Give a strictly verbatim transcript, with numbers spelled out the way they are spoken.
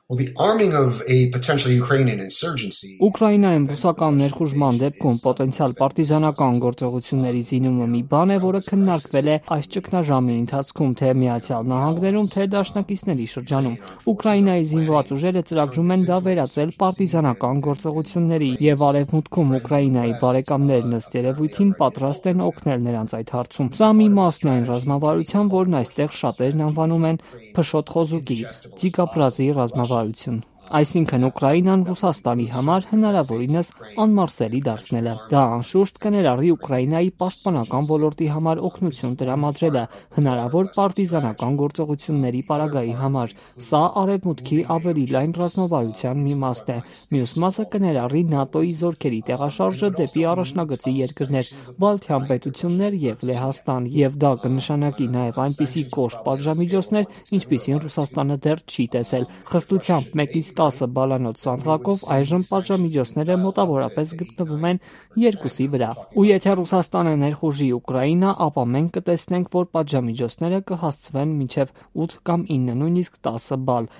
Well, the arming of a potential Ukrainian insurgency. Ուկրաինայում ռուսական ներխուժման դեպքում պոտենցիալ պարտիզանական գործողությունների զինումը մի բան է, որը քննարկվել է այս ճգնաժամի ընթացքում թե Միացյալ Նահանգներում, թե դաշնակիցների շրջանում։ Ուկրաինայի զինված ուժերը ծրագրում են դա վերածել պարտիզանական գործողությունների, եւ արևմուտքում Ուկրաինայի բարեկամներն ըստ երևույթին պատրաստ են օգնել նրանց այդ հարցում։ Սա մի մասն այն ռազմավարության, որն այստեղ շատերն անվանում են փշոտ խոզուկի, ձիգապրազի ռազմավարություն։ Այսինքն Ուկրաինան Ռուսաստանի համար հնարավորինս անմարսելի դարձնելը։ Դա անշուշտ կներառի Ուկրաինայի պաշտպանական ոլորտի համար օգնություն տրամադրելը, հնարավոր պարտիզանական գործողությունների պարագայի համար։ Սա արևմուտքի ավելի լայն ռազմավարության մի մասն է։ Մյուս մասը կներառի ՆԱՏՕ-ի զորքերի տեղաշարժը դեպի առաջնագծի երկրներ, Բալթյան պետություններ եւ Լեհաստան, եւ դա կնշանակի նաեւ այնպիսի կոշտ պատժամիջոցներ, ինչպիսին Ռուսաստանը դեռ չի տեսել։ Խստությամբ մեկից տասը բալանոց սանդղակով այժմ պատժամիջոցները մոտավորապես գտնվում են երկուսի վրա։ Ու եթե Ռուսաստանը ներխուժի Ուկրաինա, ապա մենք կտեսնենք, որ պատժամիջոցները կհասցվեն մինչև ութ կամ ինը, նույնիսկ տասը բալ։